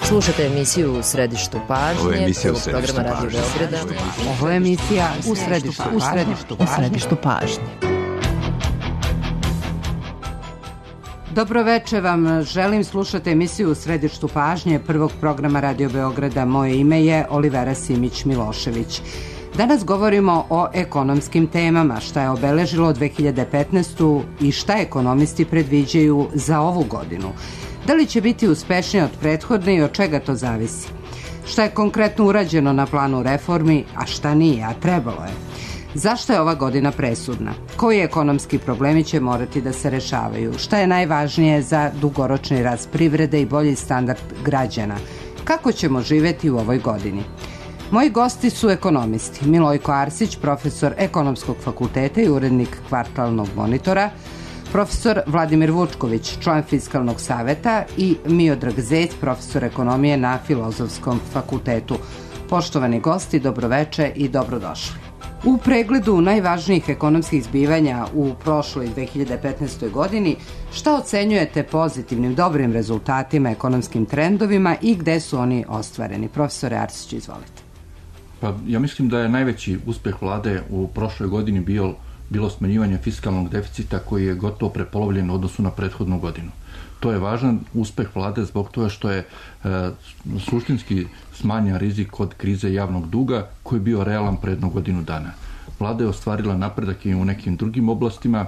Slušate emisiju U središtu pažnje, programa Radio Beograda. Ovo je emisija U središtu pažnje. Dobro večer vam želim, slušate emisiju U središtu pažnje prvog programa Radio Beograda. Moje ime je Olivera Simić-Milošević. Danas govorimo o ekonomskim temama, šta je obeležilo 2015. i šta ekonomisti predviđaju za ovu godinu. Da li će biti uspešnije od prethodne i od čega to zavisi? Šta je konkretno urađeno na planu reformi, a šta nije, a trebalo je? Zašto je ova godina presudna? Koji ekonomski problemi će morati da se rešavaju? Šta je najvažnije za dugoročni rast privrede i bolji standard građana? Kako ćemo živeti u ovoj godini? Moji gosti su ekonomisti. Milojko Arsić, profesor Ekonomskog fakulteta i urednik Kvartalnog monitora, profesor Vladimir Vučković, član Fiskalnog saveta i Miodrag Zec, profesor ekonomije na Filozofskom fakultetu. Poštovani gosti, dobroveče i dobrodošli. U pregledu najvažnijih ekonomskih zbivanja u prošloj 2015. godini, šta ocenjujete pozitivnim, dobrim rezultatima, ekonomskim trendovima i gde su oni ostvareni? Profesore Arsić, izvolite. Pa ja mislim da je najveći uspeh vlade u prošloj godini bilo smanjivanje fiskalnog deficita koji je gotovo prepolovljen u odnosu na prethodnu godinu. To je važan uspeh vlade zbog toga što je suštinski smanjen rizik od krize javnog duga koji je bio realan pre jednu godinu dana. Vlada je ostvarila napredak i u nekim drugim oblastima,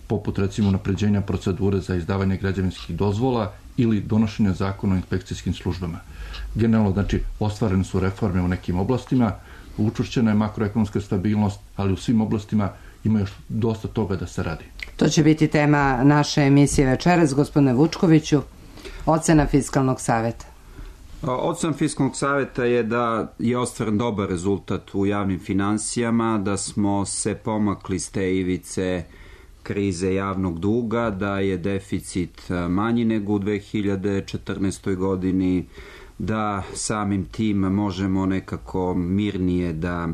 poput recimo unapređenja procedure za izdavanje građevinskih dozvola ili donošenja zakona o inspekcijskim službama. Generalno, znači, ostvarene su reforme u nekim oblastima, učvršćena je makroekonomska stabilnost, ali u svim oblastima ima još dosta toga da se radi. To će biti tema naše emisije večeras. Gospodine Vučkoviću, ocena Fiskalnog saveta. Ocena Fiskalnog saveta je da je ostvaren dobar rezultat u javnim finansijama, da smo se pomakli s te ivice krize javnog duga, da je deficit manji nego u 2014. godini, da samim tim možemo nekako mirnije da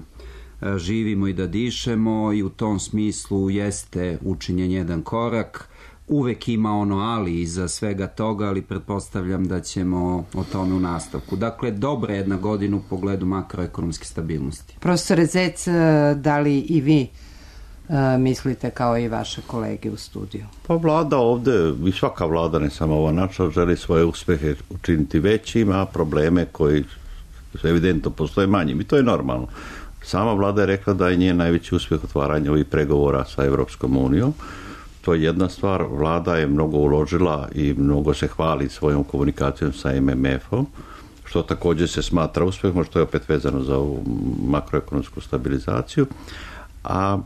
živimo i da dišemo i u tom smislu jeste učinjen jedan korak. Uvek ima ono ali iza svega toga, ali pretpostavljam da ćemo o tome u nastavku. Dakle, dobra jedna godina u pogledu makroekonomske stabilnosti. Profesore Zec, da li i vi mislite kao i vaše kolege u studiju? Pa vlada ovde, i svaka vlada, ne samo ova naša, želi svoje uspehe učiniti većim, a probleme koji evidentno postoje manjim. I to je normalno. Sama vlada je rekla da je njen najveći uspeh otvaranja ovih pregovora sa Evropskom unijom. To je jedna stvar. Vlada je mnogo uložila i mnogo se hvali svojom komunikacijom sa MMF-om, što također se smatra uspehom, što je opet vezano za ovu makroekonomsku stabilizaciju. A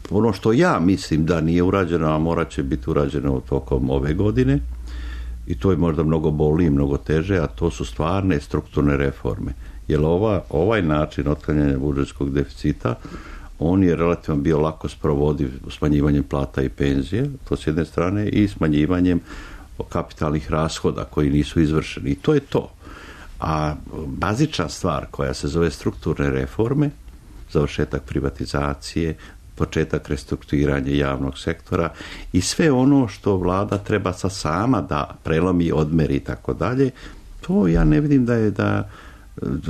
ono što ja mislim da nije urađeno, a morat će biti urađeno tokom ove godine, i to je možda mnogo bolnije i mnogo teže, a to su stvarne strukturne reforme. Jer ovaj način otklanjanja budžetskog deficita, on je relativno bio lako sprovodiv smanjivanjem plata i penzije, to s jedne strane, i smanjivanjem kapitalnih rashoda koji nisu izvršeni. I to je to. A bazična stvar koja se zove strukturne reforme, završetak privatizacije, početak restrukturiranja javnog sektora i sve ono što vlada treba sama da prelomi, odmeri i tako dalje, to ja ne vidim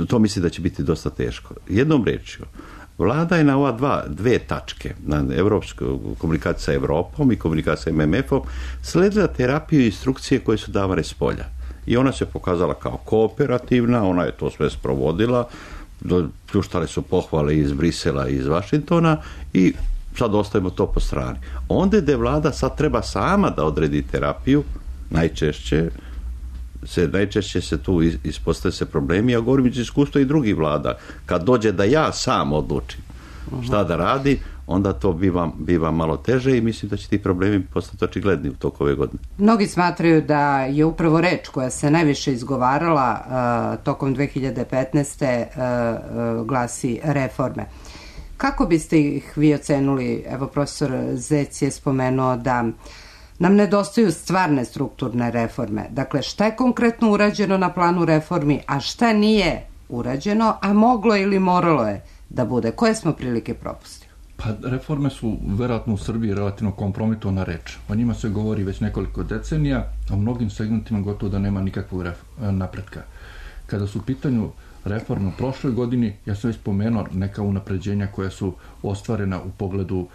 to mislim da će biti dosta teško. Jednom rečju, vlada je na ova dve tačke, na komunikaciju sa Evropom i komunikaciju sa MMF-om, sledila terapiju i instrukcije koje su davane s polja. I ona se pokazala kao kooperativna, ona je to sve sprovodila, pljuštale su pohvale iz Brisela i iz Vašingtona i sad ostavimo to po strani. Onda je vlada sad treba sama da odredi terapiju, najčešće se tu ispostavljaju se problemi, a govorim iz iskustva i drugih vlada. Kad dođe da ja sam odlučim šta da radi, onda to biva malo teže i mislim da će ti problemi postati očigledni u toku ove godine. Mnogi smatraju da je upravo reč koja se najviše izgovarala tokom 2015. Glasi reforme. Kako biste ih vi ocenuli? Evo, profesor Zec je spomenuo da nam nedostaju stvarne strukturne reforme. Dakle, šta je konkretno urađeno na planu reformi, a šta nije urađeno, a moglo ili moralo je da bude? Koje smo prilike propustili? Pa reforme su verovatno u Srbiji relativno kompromitovana reč. O njima se govori već nekoliko decenija, a u mnogim segmentima gotovo da nema nikakvog napretka. Kada su u pitanju reforme u prošloj godini, ja sam već spomenuo neka unapređenja koja su ostvarena u pogledu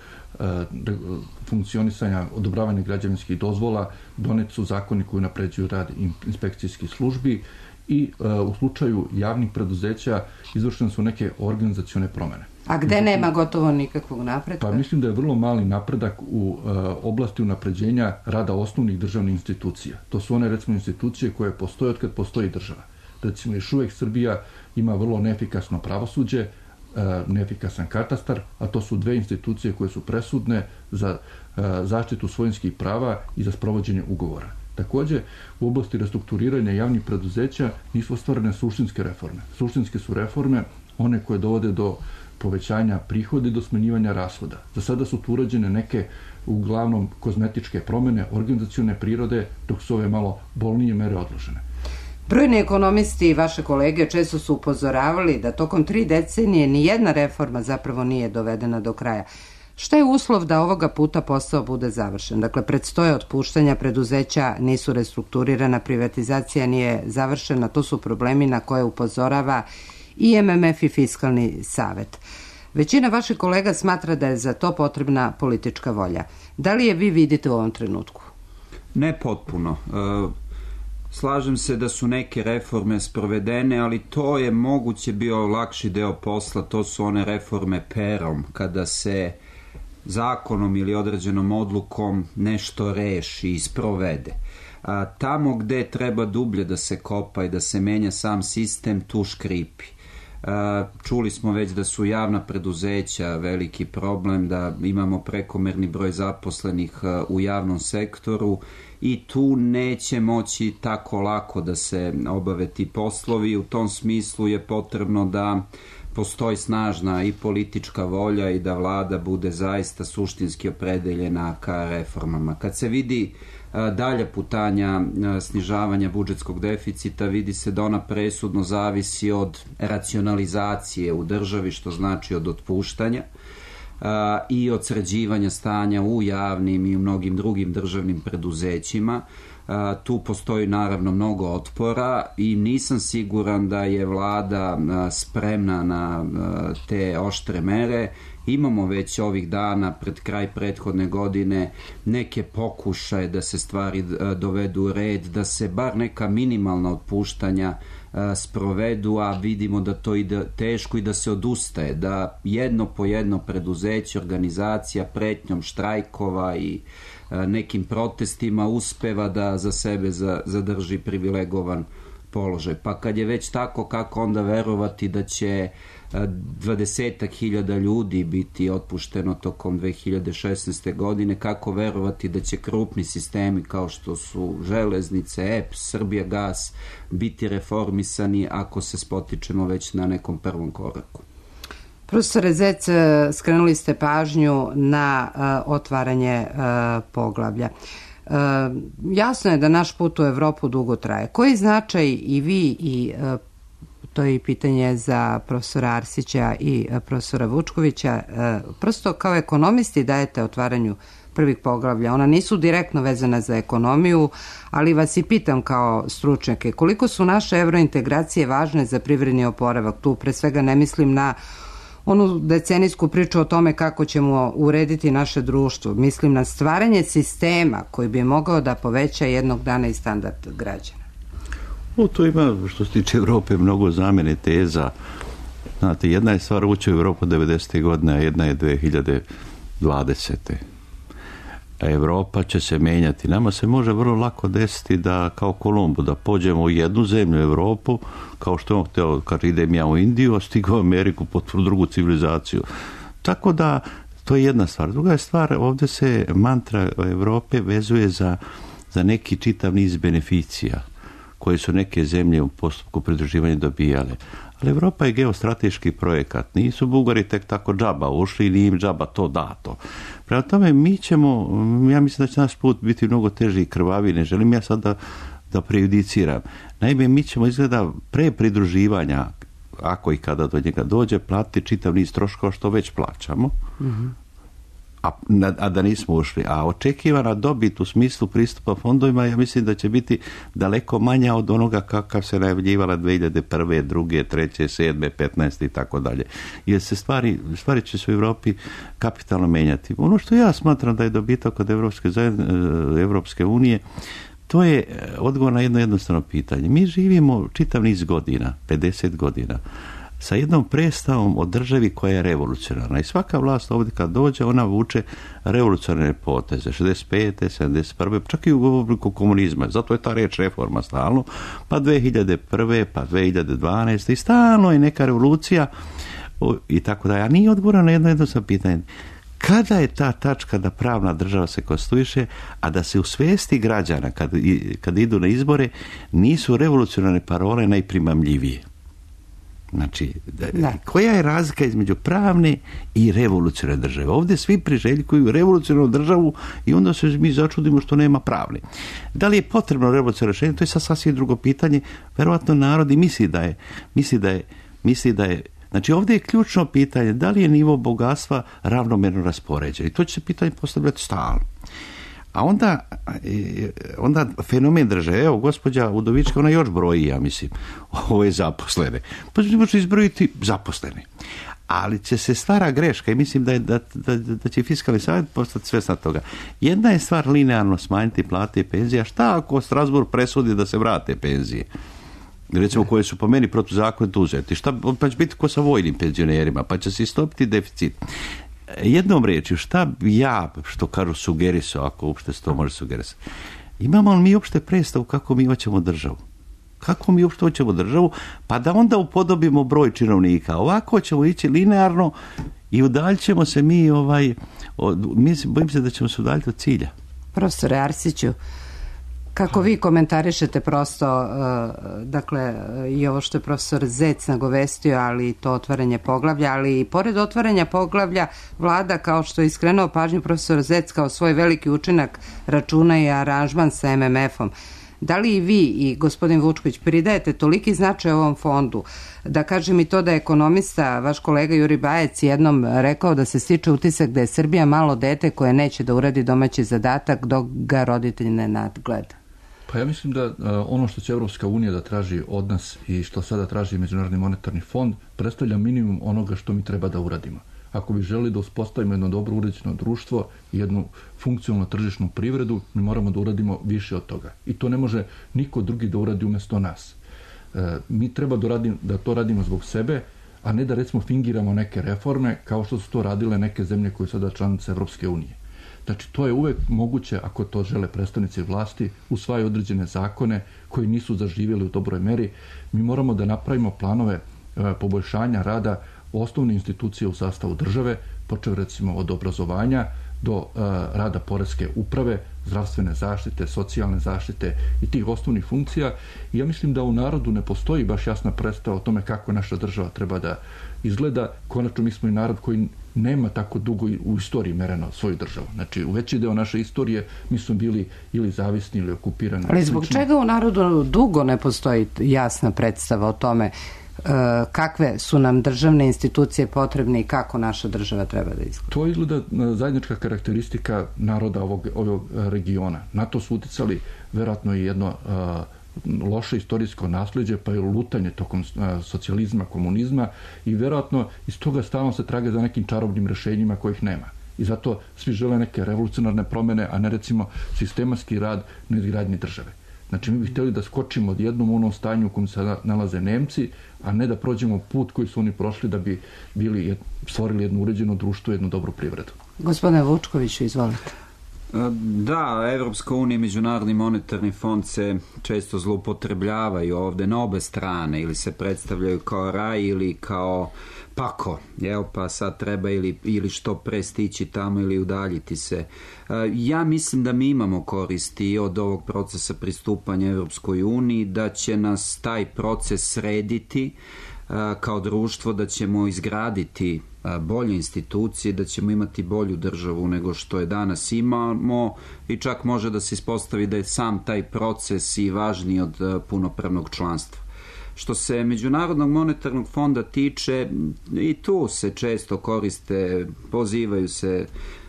funkcionisanja, odobravanja građevinskih dozvola, donet su zakoni koji unapređuju rad inspekcijskih službi i u slučaju javnih preduzeća izvršene su neke organizacione promene. A gde nema gotovo nikakvog napretka? Pa mislim da je vrlo mali napredak u oblasti unapređenja rada osnovnih državnih institucija. To su one, recimo, institucije koje postoje od kad postoji država. Recimo, još uvijek Srbija ima vrlo neefikasno pravosuđe, neefikasan katastar, a to su dve institucije koje su presudne za zaštitu svojinskih prava i za sprovođenje ugovora. Također, u oblasti restrukturiranja javnih preduzeća nisu ostvarene suštinske reforme. Suštinske su reforme one koje dovode do povećanja prihoda i do smanjivanja rashoda. Za sada su tu urađene neke uglavnom kozmetičke promjene, organizacione prirode, dok su ove malo bolnije mere odložene. Brojni ekonomisti i vaše kolege često su upozoravali da tokom 3 decenije ni jedna reforma zapravo nije dovedena do kraja. Šta je uslov da ovoga puta posao bude završen? Dakle, predstoje otpuštanja preduzeća, nisu restrukturirana, privatizacija nije završena, to su problemi na koje upozorava i MMF i Fiskalni savet. Većina vaših kolega smatra da je za to potrebna politička volja. Da li je vi vidite u ovom trenutku? Ne potpuno. Slažem se da su neke reforme sprovedene, ali to je moguće bio lakši deo posla, to su one reforme perom, kada se zakonom ili određenom odlukom nešto reši i sprovede. Tamo gde treba dublje da se kopa i da se menja sam sistem, tu škripi. Čuli smo već da su javna preduzeća veliki problem, da imamo prekomerni broj zaposlenih u javnom sektoru i tu neće moći tako lako da se obave ti poslovi. U tom smislu je potrebno da postoji snažna i politička volja i da vlada bude zaista suštinski opredeljena ka reformama. Kad se vidi dalje putanja snižavanja budžetskog deficita, vidi se da ona presudno zavisi od racionalizacije u državi, što znači od otpuštanja i od sređivanja stanja u javnim i u mnogim drugim državnim preduzećima. Tu postoji naravno mnogo otpora i nisam siguran da je vlada spremna na te oštre mere. Imamo već ovih dana pred kraj prethodne godine neke pokušaje da se stvari dovedu u red, da se bar neka minimalna otpuštanja sprovedu, a vidimo da to ide teško i da se odustaje, da jedno po jedno preduzeće, organizacija pretnjom štrajkova i nekim protestima uspeva da za sebe zadrži privilegovan položaj. Pa kad je već tako, kako onda verovati da će 20.000 ljudi biti otpušteno tokom 2016. godine, kako verovati da će krupni sistemi kao što su Železnice, EPS, Srbijagas biti reformisani ako se spotičemo već na nekom prvom koraku. Profesore Zec, skrenuli ste pažnju na otvaranje poglavlja. Jasno je da naš put u Evropu dugo traje. Koji značaj i vi i to je i pitanje za profesora Arsića i profesora Vučkovića, prosto kao ekonomisti dajete otvaranju prvih poglavlja. Ona nisu direktno vezana za ekonomiju, ali vas i pitam kao stručnjake, koliko su naše evrointegracije važne za privredni oporavak? Tu pre svega ne mislim na onu decenijsku priču o tome kako ćemo urediti naše društvo. Mislim na stvaranje sistema koji bi mogao da poveća jednog dana i standard građana. Tu ima, što se tiče Evrope, mnogo zamene teza. Znate, jedna je stvar ući u Evropu 90. godine, a jedna je 2020. Evropa će se menjati. Nama se može vrlo lako desiti da, kao Kolumbu, da pođemo u jednu zemlju, Evropu, kao što je on hteo, kad idem ja u Indiju, a stigao u Ameriku, potpuno drugu civilizaciju. Tako da, to je jedna stvar. Druga je stvar, ovdje se mantra Evrope vezuje za neki čitav niz beneficija koje su neke zemlje u postupku pridruživanja dobijale. Ali Evropa je geostrateški projekat. Nisu Bugari tek tako džaba ušli ili im džaba to dato. Prema tome, mi ćemo, ja mislim da će naš put biti mnogo teži i krvavi. Ne želim ja sad da prejudiciram. Naime, mi ćemo izgleda pre pridruživanja, ako i kada do njega dođe, platiti čitav niz troškova što već plaćamo. a da nismo ušli. A očekivana dobit u smislu pristupa fondovima, ja mislim da će biti daleko manja od onoga kakav se najavljivala 2001. 2. 3. 7. 15. i tako dalje. Jer se stvari će se u Europi kapitalno menjati. Ono što ja smatram da je dobitak od Evropske unije, to je odgovor na jedno jednostavno pitanje. Mi živimo čitav niz godina, 50 godina, sa jednom predstavom o državi koja je revolucionarna. I svaka vlast ovdje kad dođe, ona vuče revolucionarne poteze. 65. 71. čak i u obliku komunizma. Zato je ta reč reforma stalno. Pa 2001. pa 2012. I stalno je neka revolucija i tako da. A nije odgovor na jedno jednostavno pitanje. Kada je ta tačka da pravna država se konstituiše, a da se u svijesti građana kad idu na izbore nisu revolucionarne parole najprimamljivije? Znači, koja je razlika između pravne i revolucionarne države? Ovdje svi priželjkuju revolucionarnu državu i onda se mi začudimo što nema pravne. Da li je potrebno revolucionarno rješenje? To je sasvim drugo pitanje. Verovatno narod i misli da je. Znači, ovdje je ključno pitanje da li je nivo bogatstva ravnomjerno raspoređen. I to će se pitanje postavljati stalno. A onda fenomen države, evo, gospođa Udovička, ona još broji, ja mislim, ove zaposlene. Pa može izbrojiti zaposlene. Ali će se stvara greška i mislim da će Fiskalni savjet postati svjesna toga. Jedna je stvar linearno smanjiti plate i penzije, a šta ako Strasbourg presudi da se vrate penzije? Recimo koje su po meni protuzakonito uzeti. Pa će biti ko sa vojnim penzionerima, pa će se istopiti deficit. Jednom riječju, šta bi ja, što kažu, sugerisao, ako uopšte se to može sugerisati? Imamo li mi uopšte predstavu kako mi hoćemo državu? Kako mi uopšte hoćemo državu? Pa da onda upodobimo broj činovnika. Ovako ćemo ići linearno i udaljit ćemo se bojim se da ćemo se udaljiti od cilja. Profesore Arsiću, kako vi komentarišete prosto, dakle, i ovo što je profesor Zec nagovestio, ali to otvaranje poglavlja, ali i pored otvaranja poglavlja, vlada, kao što je iskrenuo pažnju profesor Zec, kao svoj veliki učinak računa i aranžman sa MMF-om. Da li i vi i gospodin Vučković pridajete toliki značaj ovom fondu, da kažem i to da je ekonomista, vaš kolega Juri Bajec, jednom rekao da se stiče utisak da je Srbija malo dete koje neće da uradi domaći zadatak dok ga roditelj ne nadgleda? Pa ja mislim da ono što će Evropska unija da traži od nas i što sada traži Međunarodni monetarni fond predstavlja minimum onoga što mi treba da uradimo. Ako bi želi da uspostavimo jedno dobro uređeno društvo i jednu funkcionalnu tržišnu privredu, mi moramo da uradimo više od toga. I to ne može niko drugi da uradi umjesto nas. Mi treba da to radimo zbog sebe, a ne da recimo fingiramo neke reforme kao što su to radile neke zemlje koje su sada članice Evropske unije. Znači, to je uvek moguće, ako to žele predstavnici vlasti, usvajaju određene zakone koji nisu zaživjeli u dobroj meri. Mi moramo da napravimo planove poboljšanja rada osnovne institucije u sastavu države, počev recimo od obrazovanja do rada poreske uprave, zdravstvene zaštite, socijalne zaštite i tih osnovnih funkcija. I ja mislim da u narodu ne postoji baš jasna predstava o tome kako naša država treba da izgleda. Konačno, mi smo i narod koji nema tako dugo u istoriji mereno svoju državu. Znači, u veći deo naše istorije mi smo bili ili zavisni ili okupirani. Ali zbog čega u narodu dugo ne postoji jasna predstava o tome kakve su nam državne institucije potrebne i kako naša država treba da izgleda? To izgleda zajednička karakteristika naroda ovog regiona. Na to su uticali verovatno i jedno loše istorijsko nasljeđe, pa je lutanje tokom socijalizma, komunizma i verovatno iz toga stalno se traga za nekim čarobnim rješenjima kojih nema. I zato svi žele neke revolucionarne promjene, a ne recimo sistematski rad na izgradnji države. Znači, mi bi htjeli da skočimo od jednom onom stanju u kojem se nalaze Nemci, a ne da prođemo put koji su oni prošli da bi stvorili jedno uređeno društvo, jednu dobru privredu. Gospodine Vučkoviću, izvolite. Da, Evropska unija i Međunarodni monetarni fond se često zloupotrebljavaju ovdje na obe strane, ili se predstavljaju kao raj ili kao pako, pa sad treba ili što pre stići tamo ili udaljiti se. Ja mislim da mi imamo koristi od ovog procesa pristupanja Evropskoj uniji, da će nas taj proces srediti kao društvo, da ćemo izgraditi bolje institucije, da ćemo imati bolju državu nego što je danas imamo i čak može da se ispostavi da je sam taj proces i važniji od punopravnog članstva. Što se Međunarodnog monetarnog fonda tiče, i tu se često koriste, pozivaju se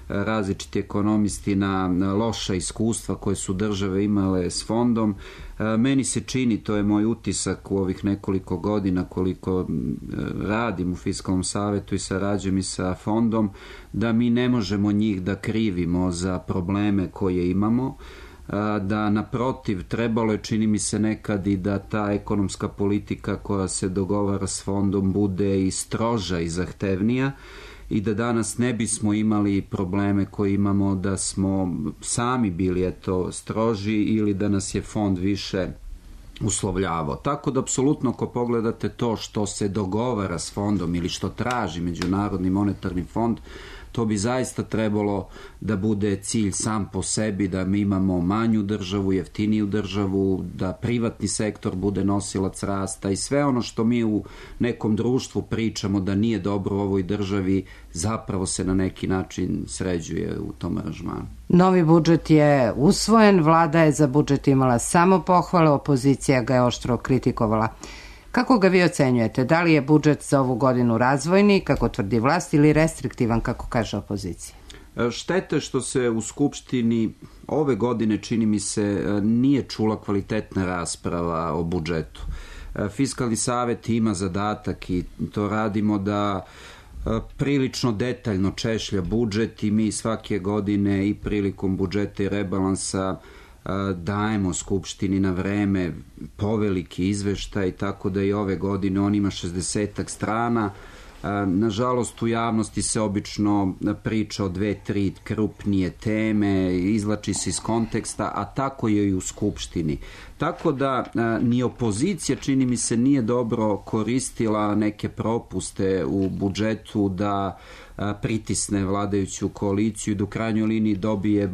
različiti ekonomisti na loša iskustva koje su države imale s fondom. Meni se čini, to je moj utisak u ovih nekoliko godina koliko radim u Fiskalnom savetu i sarađujem i sa fondom, da mi ne možemo njih da krivimo za probleme koje imamo, da naprotiv trebalo je, čini mi se nekad, i da ta ekonomska politika koja se dogovara s fondom bude i stroža i zahtevnija i da danas ne bismo imali probleme koje imamo da smo sami bili stroži ili da nas je fond više uslovljavao. Tako da apsolutno ako pogledate to što se dogovara s fondom ili što traži Međunarodni monetarni fond, to bi zaista trebalo da bude cilj sam po sebi, da mi imamo manju državu, jeftiniju državu, da privatni sektor bude nosilac rasta i sve ono što mi u nekom društvu pričamo da nije dobro u ovoj državi, zapravo se na neki način sređuje u tom aranžmanu. Novi budžet je usvojen, vlada je za budžet imala samo pohvale, opozicija ga je oštro kritikovala. Kako ga vi ocenjujete? Da li je budžet za ovu godinu razvojni, kako tvrdi vlast, ili restriktivan, kako kaže opozicija? Štete što se u Skupštini ove godine, čini mi se, nije čula kvalitetna rasprava o budžetu. Fiskalni savet ima zadatak i to radimo da prilično detaljno češlja budžet i mi svake godine i prilikom budžeta i rebalansa dajemo Skupštini na vreme poveliki izveštaj, tako da i ove godine on ima 60 strana. Nažalost, u javnosti se obično priča o 2-3 krupnije teme, izvlači se iz konteksta, a tako je i u Skupštini. Tako da ni opozicija, čini mi se, nije dobro koristila neke propuste u budžetu da pritisne vladajuću koaliciju i do krajnjoj liniji dobije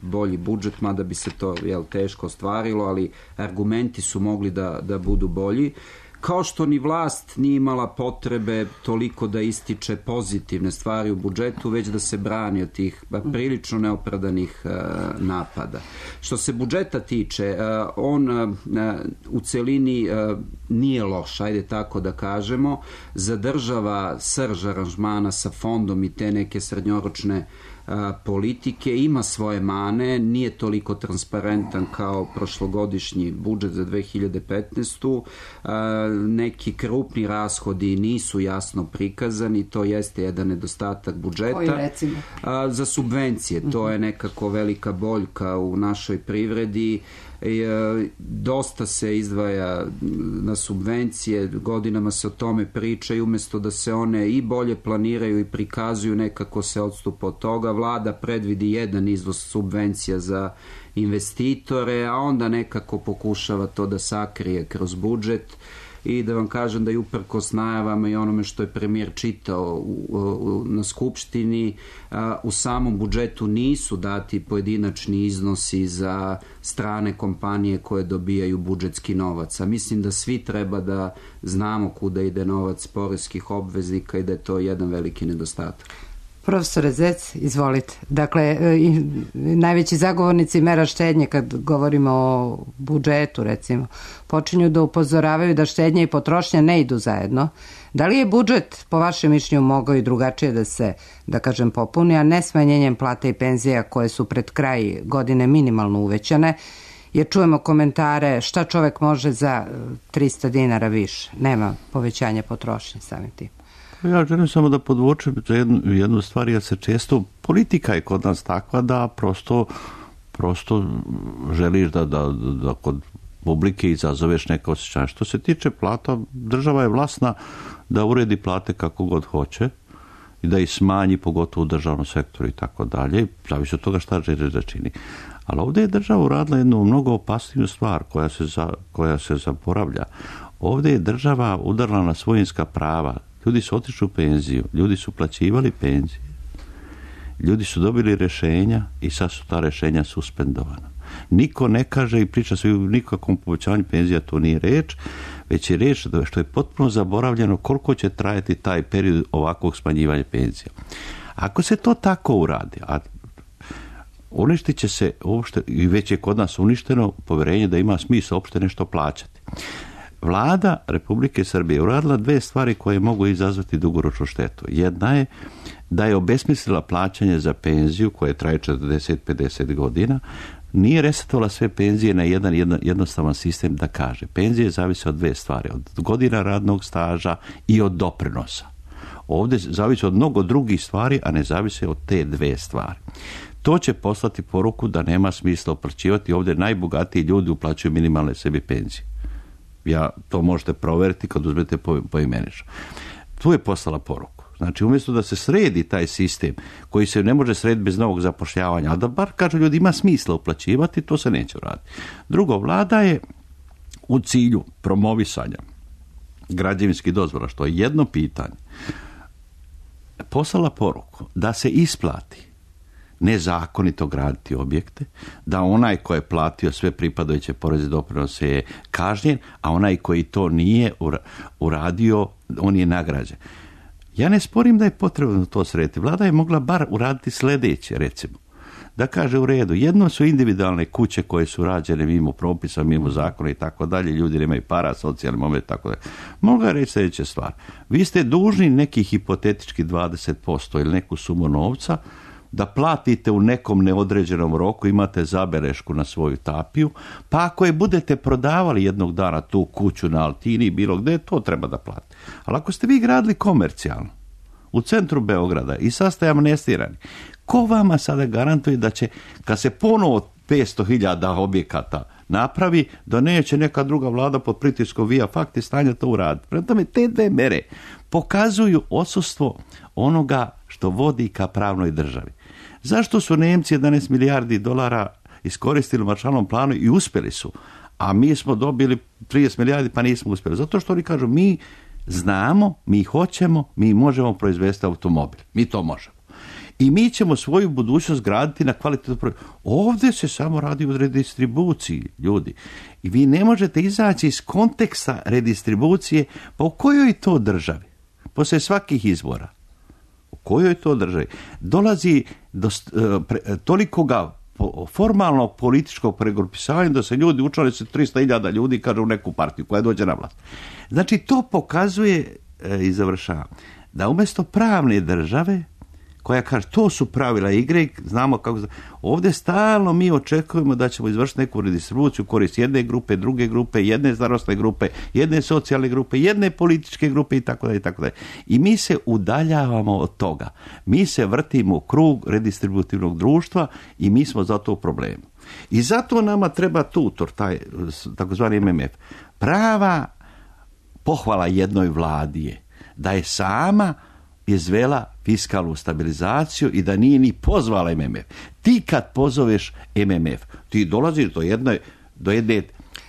bolji budžet, mada bi se to teško ostvarilo, ali argumenti su mogli da budu bolji. Kao što ni vlast nije imala potrebe toliko da ističe pozitivne stvari u budžetu, već da se brani od tih prilično neopravdanih napada. Što se budžeta tiče, on u celini nije loš, ajde tako da kažemo, zadržava srž aranžmana sa fondom i te neke srednjoročne politike, ima svoje mane, nije toliko transparentan kao prošlogodišnji budžet za 2015. Neki krupni rashodi nisu jasno prikazani, to jeste jedan nedostatak budžeta. Koji recimo? Za subvencije, to je nekako velika boljka u našoj privredi. Dosta se izdvaja na subvencije, godinama se o tome priča i umjesto da se one i bolje planiraju i prikazuju, nekako se odstupa od toga. Vlada predvidi jedan izvoz subvencija za investitore, a onda nekako pokušava to da sakrije kroz budžet. I da vam kažem da je uprkos najavama i onome što je premijer čitao na Skupštini, u samom budžetu nisu dati pojedinačni iznosi za strane kompanije koje dobijaju budžetski novac. A mislim da svi treba da znamo kuda ide novac poreskih obveznika i da je to jedan veliki nedostatak. Profesore Zec, izvolite. Dakle, najveći zagovornici mera štednje, kad govorimo o budžetu, recimo, počinju da upozoravaju da štednja i potrošnja ne idu zajedno. Da li je budžet, po vašem mišljenju, mogao i drugačije da se, da kažem, popuni, a ne smanjenjem plata i penzija koje su pred kraj godine minimalno uvećane, jer čujemo komentare šta čovek može za 300 dinara više. Nema povećanja potrošnje samim tim. Ja želim samo da podvučem jednu stvar, jer se često, politika je kod nas takva da prosto želiš da kod publike izazoveš neka osjećanja. Što se tiče plata, država je vlasna da uredi plate kako god hoće i da ih smanji, pogotovo u državnom sektoru i tako dalje, zavisi od toga šta želi da čini. Ali ovdje je država uradila jednu mnogo opasniju stvar koja se zaboravlja. Ovdje je država udarila na svojinska prava. Ljudi su otišli u penziju, ljudi su plaćivali penzije, ljudi su dobili rješenja i sad su ta rješenja suspendovana. Niko ne kaže i priča se o nikakvom povećanju penzija, to nije reč, već je reč što je potpuno zaboravljeno koliko će trajati taj period ovakvog smanjivanja penzija. Ako se to tako uradi, a uništit će se uopšte, i već je kod nas uništeno povjerenje da ima smisla uopšte nešto plaćati. Vlada Republike Srbije uradila 2 stvari koje mogu izazvati dugoročnu štetu. Jedna je da je obesmislila plaćanje za penziju koje traje 40-50 godina, nije resetovala sve penzije na jednostavan sistem da kaže. Penzije zavise od 2 stvari, od godina radnog staža i od doprinosa. Ovdje zavisi od mnogo drugih stvari, a ne zavise od te 2 stvari. To će poslati poruku da nema smisla uplaćivati. Ovdje najbogatiji ljudi uplaćuju minimalne sebi penzije. To možete provjeriti kad uzmete poimenično. Tu je poslala poruku. Znači, umjesto da se sredi taj sistem koji se ne može srediti bez novog zapošljavanja, a da bar kažu ljudi ima smisla uplaćivati, to se neće uraditi. Drugo, vlada je u cilju promovisanja građevinskih dozvola, što je jedno pitanje, poslala poruku da se isplati nezakonito graditi objekte, da onaj ko je platio sve pripadajuće poreze i doprinose je kažnjen, a onaj koji to nije uradio, on je nagrađen. Ja ne sporim da je potrebno to srediti. Vlada je mogla bar uraditi sljedeće, recimo. Da kaže u redu, jedno su individualne kuće koje su rađene mimo propisa, mimo zakona i tako dalje, ljudi nemaju para, socijalni moment i tako dalje. Mogla je reći sljedeća stvar. Vi ste dužni neki hipotetički 20% ili neku sumu novca da platite u nekom neodređenom roku, imate zabelešku na svoju tapiju, pa ako je budete prodavali jednog dana tu kuću na Altini, bilo gdje, to treba da platite. Ali ako ste vi gradili komercijalno, u centru Beograda i sad ste amnestirani, ko vama sada garantuje da će, kad se ponovo 500.000 objekata napravi, da neće neka druga vlada pod pritiskom via fakti stanja to uraditi. Prema tome, te 2 mere pokazuju odsustvo onoga što vodi ka pravnoj državi. Zašto su Nemci 11 milijardi dolara iskoristili u Maršalovom planu i uspjeli su, a mi smo dobili 30 milijardi pa nismo uspjeli? Zato što oni kažu, mi znamo, mi hoćemo, mi možemo proizvesti automobil. Mi to možemo. I mi ćemo svoju budućnost graditi na kvalitetnu proizvodnju. Ovdje se samo radi o redistribuciji, ljudi. I vi ne možete izaći iz konteksta redistribucije, pa u kojoj to državi? Poslije svakih izbora. U kojoj to državi? Dolazi do tolikoga formalnog političkog pregrupisavanja da se ljudi učlane se 300.000 ljudi kaže u neku partiju koja dođe na vlast. Znači to pokazuje i završava da umjesto pravne države koja kaže to su pravila igre, znamo kako. Ovdje stalno mi očekujemo da ćemo izvršiti neku redistribuciju korist jedne grupe, druge grupe, jedne starosne grupe, jedne socijalne grupe, jedne političke grupe itd. I mi se udaljavamo od toga. Mi se vrtimo u krug redistributivnog društva i mi smo zato u problemu. I zato nama treba tutor, taj takozvani MMF. Prava pohvala jednoj vladi je da je sama izvela fiskalnu stabilizaciju i da nije ni pozvala MMF. Ti kad pozoveš MMF, ti dolaziš do jedne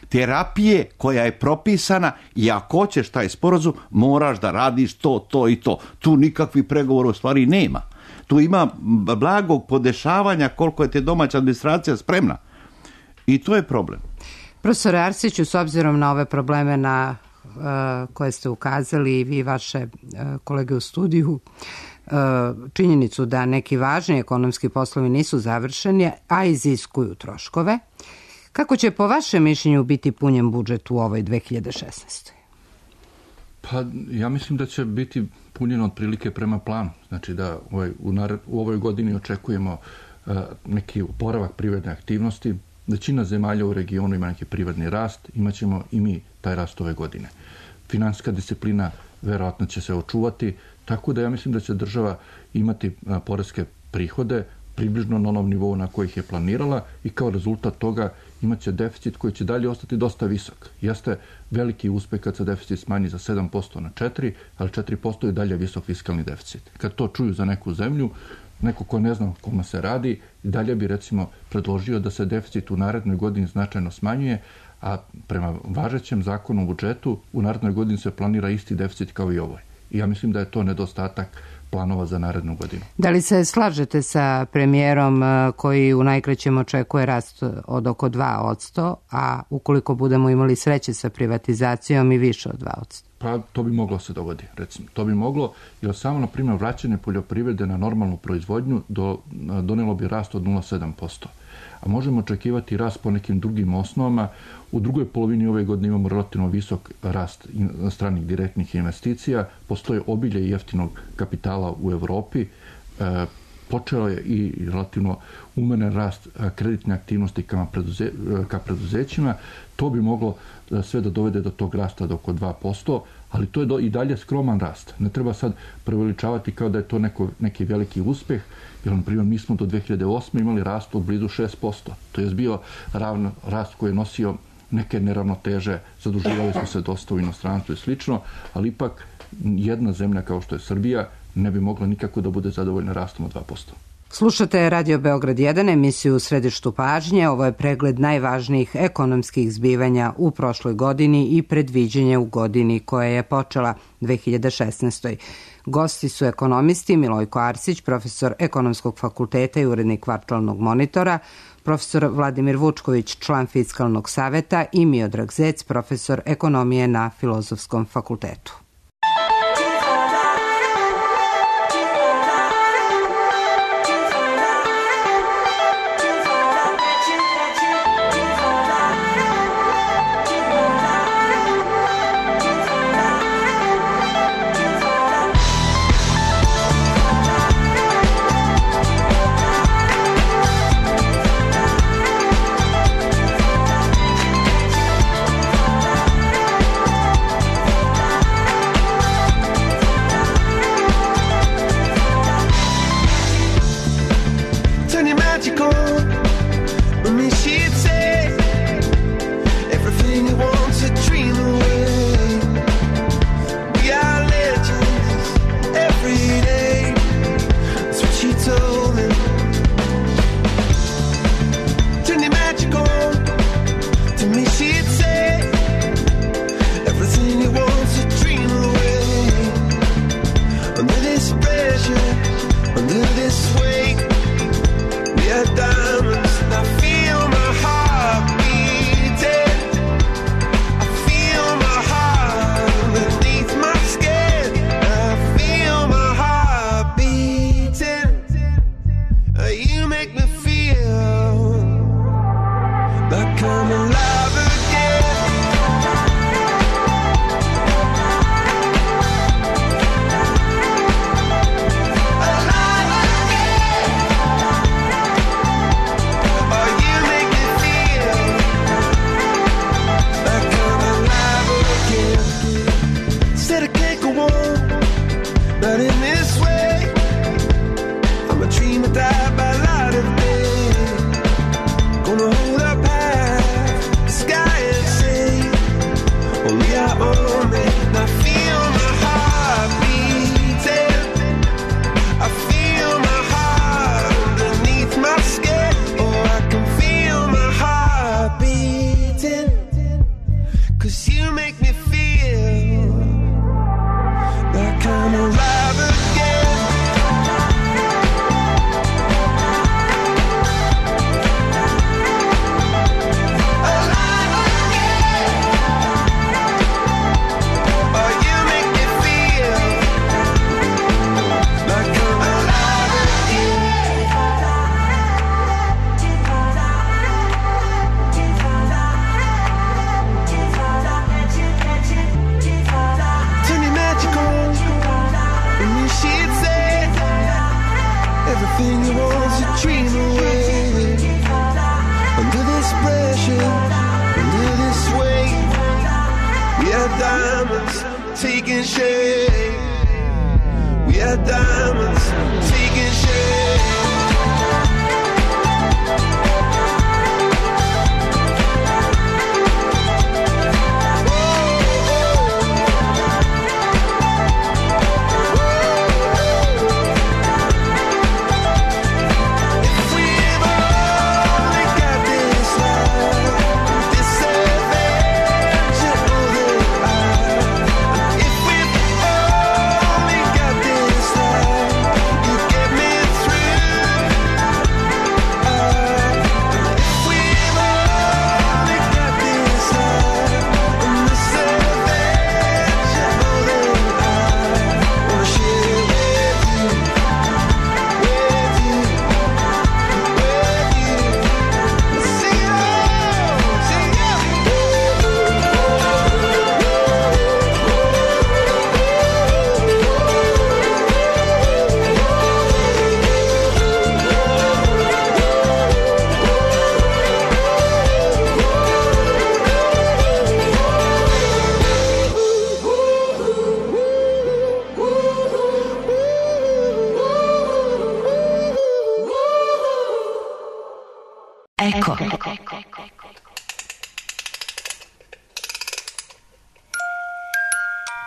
terapije koja je propisana i ako hoćeš taj sporazum, moraš da radiš to i to. Tu nikakvih pregovora u stvari nema. Tu ima blagog podešavanja koliko je te domaća administracija spremna. I to je problem. Profesor Arsiću, s obzirom na ove probleme na koje ste ukazali i vi vaše kolege u studiju, činjenicu da neki važni ekonomski poslovi nisu završeni, a iziskuju troškove, kako će po vašem mišljenju biti punjen budžet u ovoj 2016. Pa ja mislim da će biti punjen otprilike prema planu. Znači da u ovoj godini očekujemo neki oporavak privredne aktivnosti. Većina zemalja u regionu ima neki privredni rast, imaćemo i mi taj rast ove godine. Finansijska disciplina verovatno će se očuvati, tako da ja mislim da će država imati poreske prihode približno na onom nivou na kojih je planirala i kao rezultat toga imaće deficit koji će dalje ostati dosta visok. Jeste veliki uspeh kad se deficit smanji za 7% na 4%, ali 4% je dalje visok fiskalni deficit. Kad to čuju za neku zemlju, neko ko ne zna o kome se radi, dalje bi recimo predložio da se deficit u narednoj godini značajno smanjuje, a prema važećem zakonu o budžetu u narednoj godini se planira isti deficit kao i ovoj. I ja mislim da je to nedostatak planova za narednu godinu. Da li se slažete sa premijerom koji u najkraćem očekuje rast od oko 2%, a ukoliko budemo imali sreće sa privatizacijom i više od 2%? Pa to bi moglo se dogodi, recimo. To bi moglo, jer samo, na primjer, vraćanje poljoprivrede na normalnu proizvodnju donijelo bi rast od 0,7%. a možemo očekivati rast po nekim drugim osnovama. U drugoj polovini ove godine imamo relativno visok rast stranih direktnih investicija, postoje obilje jeftinog kapitala u Evropi, počeo je i relativno umeren rast kreditne aktivnosti ka preduzećima. To bi moglo sve da dovede do tog rasta do oko 2%, ali to je i dalje skroman rast. Ne treba sad preveličavati kao da je to neki veliki uspeh, jer, na primjer, mi smo do 2008. imali rast od blizu 6%. To je bio rast koji je nosio neke neravnoteže, zaduživali smo se dosta u inostranstvu i slično, ali ipak jedna zemlja kao što je Srbija ne bi mogla nikako da bude zadovoljna rastom od 2%. Slušate Radio Beograd 1, emisiju U središtu pažnje. Ovo je pregled najvažnijih ekonomskih zbivanja u prošloj godini i predviđenje u godini koja je počela 2016. Gosti su ekonomisti Milojko Arsić, profesor Ekonomskog fakulteta i urednik Kvartalnog monitora, profesor Vladimir Vučković, član Fiskalnog saveta i Miodrag Zec, profesor ekonomije na Filozofskom fakultetu. Get me through.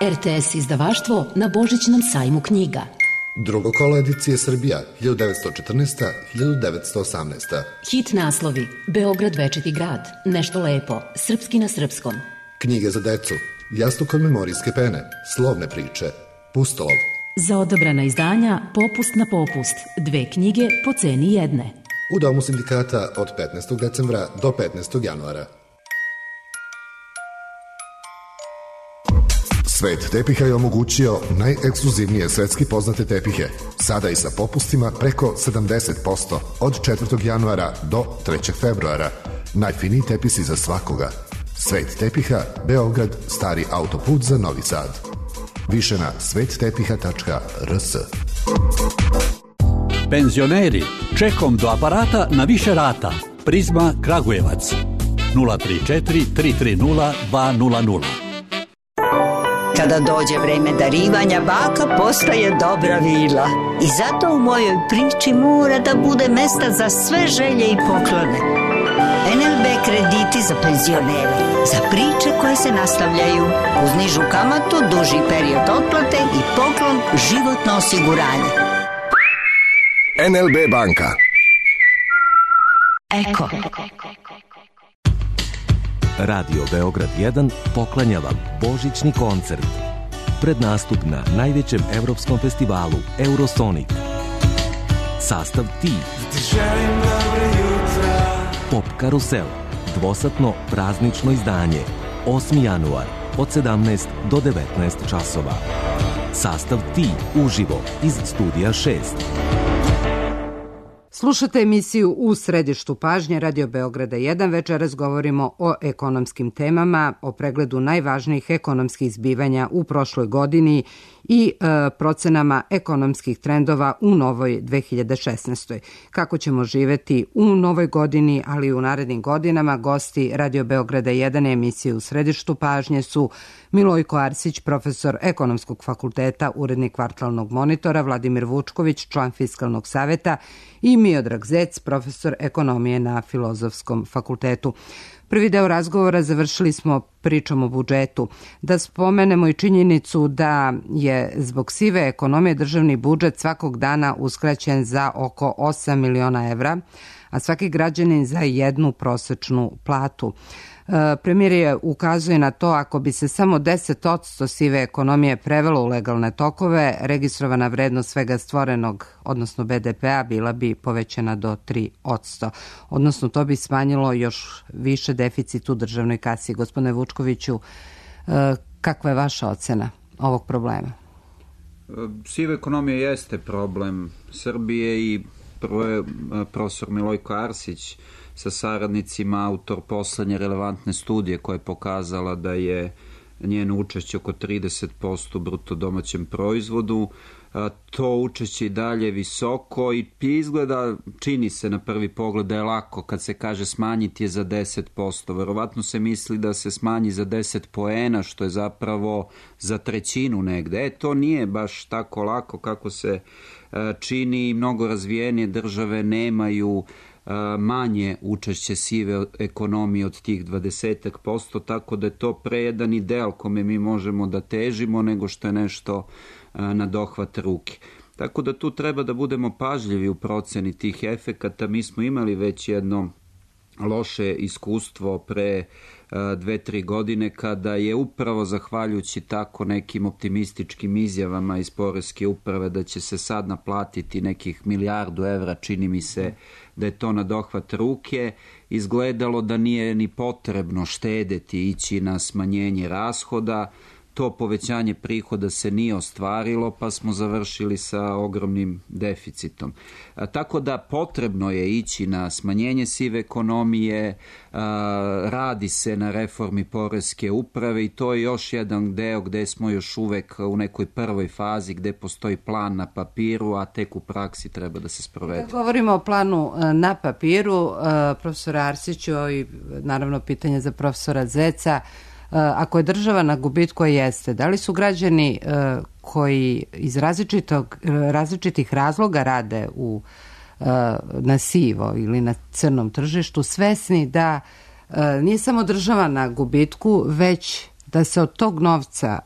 RTS izdavaštvo na Božićnom sajmu knjiga. Drugo kolo edicije Srbija, 1914-1918. Hit naslovi: Beograd večiti grad, Nešto lepo, Srpski na srpskom. Knjige za decu, Jastuk od memorijske pene, Slovne priče, Pustolov. Za odabrana izdanja Popust na popust, 2 knjige po ceni jedne. U Domu sindikata od 15. decembra do 15. januara. Svet tepiha je omogućio najekskluzivnije svetski poznate tepihe, sada i sa popustima preko 70% od 4. januara do 3. februara. Najfiniji tepisi za svakoga. Svet tepiha, Beograd, Stari autoput za Novi Sad. Više na svettepiha.rs. Penzioneri, čekom do aparata na više rata. Prizma Kragujevac 034 330 200. Kada dođe vreme darivanja, baka postaje dobra vila. I zato u mojoj priči mora da bude mesta za sve želje i poklone. NLB krediti za penzionere, za priče koje se nastavljaju, uz nižu kamatu, duži period otplate i poklon životno osiguranje. NLB banka. Eko. Radio Beograd 1 poklanja vam božićni koncert. Prednastup na najvećem evropskom festivalu Eurosonic. Sastav Ti. Pop Karusel. Dvosatno praznično izdanje. 8. januar od 17 do 19 časova. Sastav Ti uživo iz studija 6. Slušate emisiju U središtu pažnje Radio Beograda 1. Večeras govorimo o ekonomskim temama, o pregledu najvažnijih ekonomskih zbivanja u prošloj godini i procenama ekonomskih trendova u novoj 2016. Kako ćemo živeti u novoj godini, ali i u narednim godinama, gosti Radio Beograda 1 emisije U središtu pažnje su Milojko Arsić, profesor Ekonomskog fakulteta, urednik Kvartalnog monitora, Vladimir Vučković, član Fiskalnog saveta i Miodrag Zec, profesor ekonomije na Filozofskom fakultetu. Prvi deo razgovora završili smo pričom o budžetu. Da spomenemo i činjenicu da je zbog sive ekonomije državni budžet svakog dana uskraćen za oko 8 miliona evra, a svaki građanin za jednu prosečnu platu. Premijer je ukazuje na to ako bi se samo 10% sive ekonomije prevelo u legalne tokove, registrovana vrednost svega stvorenog, odnosno BDP-a, bila bi povećana do 3%. Odnosno to bi smanjilo još više deficit u državnoj kasi. Gospodine Vučkoviću, kakva je vaša ocena ovog problema? Siva ekonomija jeste problem Srbije i prvo je profesor Milojko Arsić sa saradnicima autor poslednje relevantne studije koja je pokazala da je njeno učešće oko 30% u bruto domaćem proizvodu. To učešće i dalje visoko i izgleda, čini se na prvi pogled da je lako kad se kaže smanjiti je za 10%. Verovatno se misli da se smanji za 10 poena, što je zapravo za trećinu negde. To nije baš tako lako kako se čini. Mnogo razvijenije države nemaju manje učešće sive ekonomije od tih 20%, tako da je to pre jedan ideal kome mi možemo da težimo nego što je nešto na dohvat ruke. Tako da tu treba da budemo pažljivi u proceni tih efekata. Mi smo imali već jedno loše iskustvo pre 2-3 godine kada je upravo zahvaljujući tako nekim optimističkim izjavama iz poreske uprave da će se sad naplatiti nekih 1 milijardu evra, čini mi se da je to na dohvat ruke, izgledalo da nije ni potrebno štedeti, ići na smanjenje rashoda. To povećanje prihoda se nije ostvarilo, pa smo završili sa ogromnim deficitom. Tako da potrebno je ići na smanjenje sive ekonomije, radi se na reformi poreske uprave i to je još jedan deo gde smo još uvek u nekoj prvoj fazi gde postoji plan na papiru, a tek u praksi treba da se sprovede. Kad govorimo o planu na papiru, profesora Arsiću i naravno pitanje za profesora Zeca, ako je država na gubitku, jeste, da li su građani koji iz različitih razloga rade na sivo ili na crnom tržištu svesni da nije samo država na gubitku, već da se od tog novca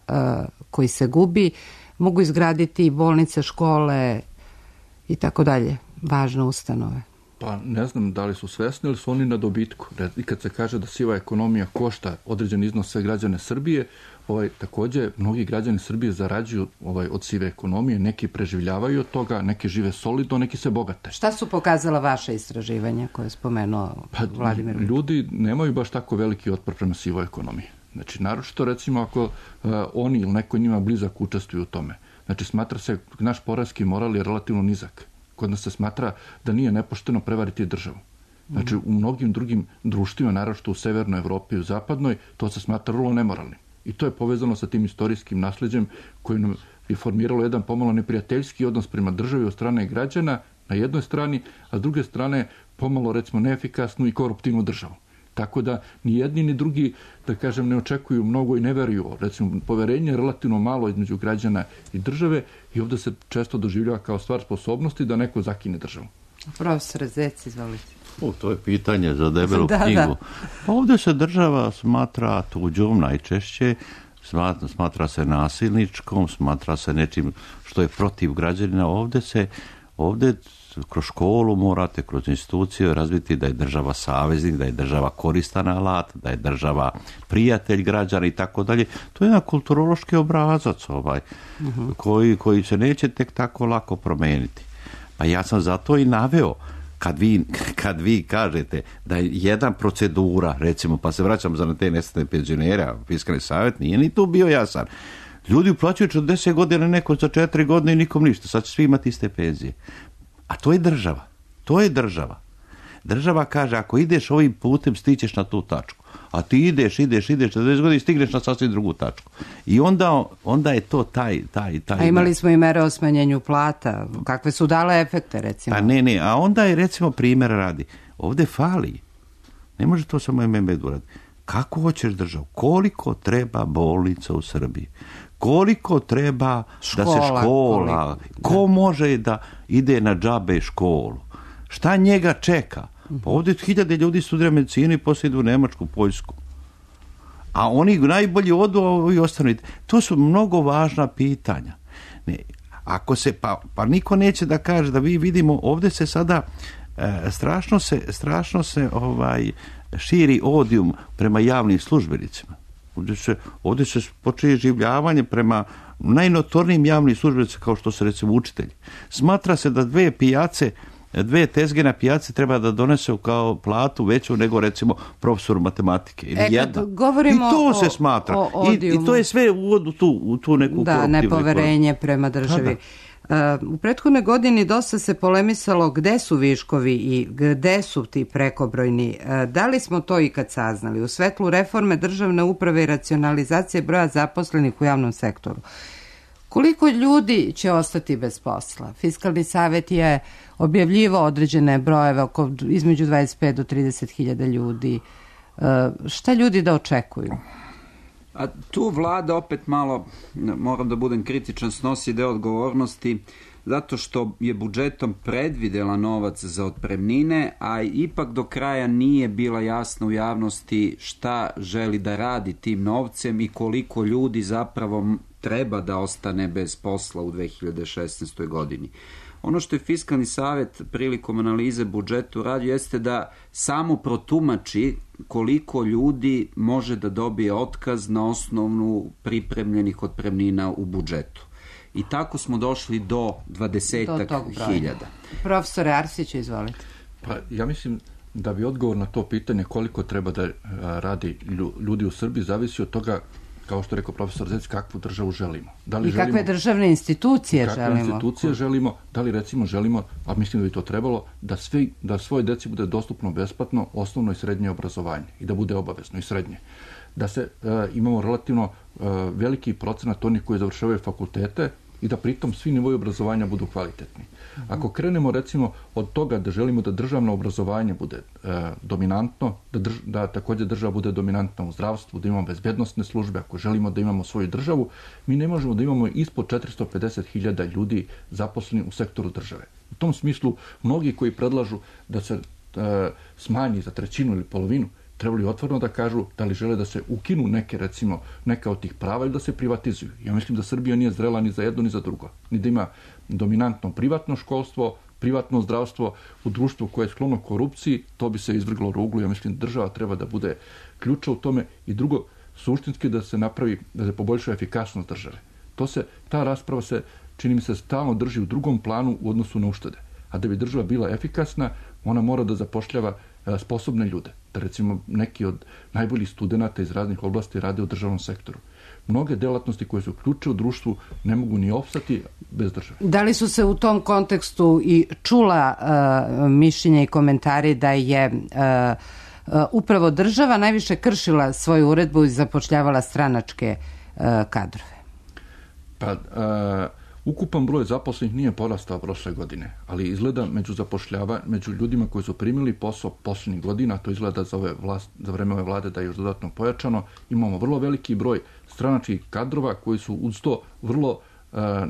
koji se gubi mogu izgraditi bolnice, škole i tako dalje, važne ustanove. Pa ne znam da li su svesni ili su oni na dobitku. I kad se kaže da siva ekonomija košta određen iznos sve građane Srbije, također mnogi građani Srbije zarađuju od sive ekonomije, neki preživljavaju od toga, neki žive solidno, neki se bogate. Šta su pokazala vaše istraživanja koje je spomenuo Vladimir? Ljudi nemaju baš tako veliki otpor prema sivoj ekonomiji. Znači, naročito recimo ako oni ili neko njima blizak učestvuju u tome. Znači, smatra se, naš poreski moral je relativno nizak. Kod nas se smatra da nije nepošteno prevariti državu. Znači, u mnogim drugim društvima, naročito u severnoj Evropi i u zapadnoj, to se smatra vrlo nemoralnim. I to je povezano sa tim istorijskim nasleđem koji nam je formiralo jedan pomalo neprijateljski odnos prema državi od strane građana na jednoj strani, a s druge strane pomalo, recimo, neefikasnu i koruptivnu državu. Tako da ni jedni ni drugi, da kažem, ne očekuju mnogo i ne veruju. Recimo, poverenje je relativno malo između građana i države i ovdje se često doživljava kao stvar sposobnosti da neko zakine državu. Profesor Zec, izvolite. To je pitanje za debelu knjigu. Pa ovdje se država smatra tuđom najčešće, smatra se nasilničkom, smatra se nečim što je protiv građanina. Ovdje kroz školu morate, kroz instituciju razviti da je država saveznik, da je država koristan alat, da je država prijatelj građana i tako dalje. To je jedan kulturološki obrazac koji se neće tek tako lako promijeniti. Pa ja sam zato i naveo kad vi kažete da je jedna procedura, recimo, pa se vraćam za te nesretne penzionere, Fiskalni savjet nije ni tu bio jasan. Ljudi uplaćuju 40 godina, neko za 4 godine i nikom ništa. Sad će svi imati iste penzije. A to je država. Država kaže, ako ideš ovim putem, stićeš na tu tačku. A ti ideš 40 godina i stigneš na sasvim drugu tačku. I onda je to taj... A imali smo i mere o smanjenju plata. Kakve su dale efekte, recimo? Pa ne. A onda je, recimo, primjer radi. Ovdje fali. Ne može to samo MMB uraditi. Kako hoćeš državu? Koliko treba bolnica u Srbiji? Koliko treba da se škola... Ko može da ide na džabe školu? Šta njega čeka? Pa ovdje 1000 ljudi studira medicinu i poslije idu u Nemačku, Poljsku. A oni najbolji odu i ostanu. To su mnogo važna pitanja. Ne, ako se, pa niko neće da kaže da vi vidimo, ovdje se sada strašno se širi odijum prema javnim službenicima. Ovdje se počinje življavanje prema najnotornijim javnim službenicima kao što su, recimo, učitelji. Smatra se da 2 tezge na pijaci treba da donesu kao platu veću nego, recimo, profesor matematike. Ili jedna. I to se smatra. I to je sve uvod u tu neku koruptivnu. Da, nepoverenje prema državi. U prethodnoj godini dosta se polemisalo gde su viškovi i gde su ti prekobrojni. Da li smo to ikad saznali? U svetlu reforme državne uprave i racionalizacije broja zaposlenih u javnom sektoru, koliko ljudi će ostati bez posla? Fiskalni savjet je objavljivao određene brojeve, između 25 do 30.000 ljudi. Šta ljudi da očekuju? A tu vlada opet malo, moram da budem kritičan, snosi deo odgovornosti zato što je budžetom predvidela novac za otpremnine, a ipak do kraja nije bila jasna u javnosti šta želi da radi tim novcem i koliko ljudi zapravo treba da ostane bez posla u 2016. godini. Ono što je Fiskalni savjet prilikom analize budžeta uradio jeste da samo protumači koliko ljudi može da dobije otkaz na osnovnu pripremljenih otpremnina u budžetu. I tako smo došli do 20.000. Profesore Arsiću, izvolite. Pa ja mislim da bi odgovor na to pitanje koliko treba da radi ljudi u Srbiji zavisi od toga, kao što je rekao profesor Zec, kakvu državu želimo. I kakve državne institucije želimo. Da li, recimo, želimo, a mislim da bi to trebalo, da svoje deci bude dostupno besplatno osnovno i srednje obrazovanje i da bude obavezno i srednje. Da se imamo relativno veliki procenat onih koji završavaju fakultete i da pritom svi nivoji obrazovanja budu kvalitetni. Ako krenemo, recimo, od toga da želimo da državno obrazovanje bude dominantno, da također država bude dominantna u zdravstvu, da imamo bezbednosne službe, ako želimo da imamo svoju državu, mi ne možemo da imamo ispod 450.000 ljudi zaposleni u sektoru države. U tom smislu, mnogi koji predlažu da se smanji za trećinu ili polovinu, trebali otvoreno da kažu da li žele da se ukinu neka od tih prava ili da se privatizuju. Ja mislim da Srbija nije zrela ni za jedno ni za drugo. Ni da ima dominantno privatno školstvo, privatno zdravstvo u društvu koje je sklono korupciji, to bi se izvrglo ruglu. Ja mislim da država treba da bude ključa u tome i drugo, suštinski da se napravi, da se poboljša efikasnost države. Ta rasprava se, čini mi se, stalno drži u drugom planu u odnosu na uštede. A da bi država bila efikasna, ona mora da zapošljava sposobne ljude. Da recimo neki od najboljih studenata iz raznih oblasti rade u državnom sektoru. Mnoge delatnosti koje su ključe u društvu ne mogu ni opstati bez države. Da li su se u tom kontekstu i čula mišljenja i komentari da je upravo država najviše kršila svoju uredbu i zapošljavala stranačke kadrove? Pa, ukupan broj zaposlenih nije porastao prošle godine, ali izgleda među ljudima koji su primili posao posljednjih godina, to izgleda za vreme ove vlade da je još dodatno pojačano, imamo vrlo veliki broj stranačkih kadrova koji su uz to vrlo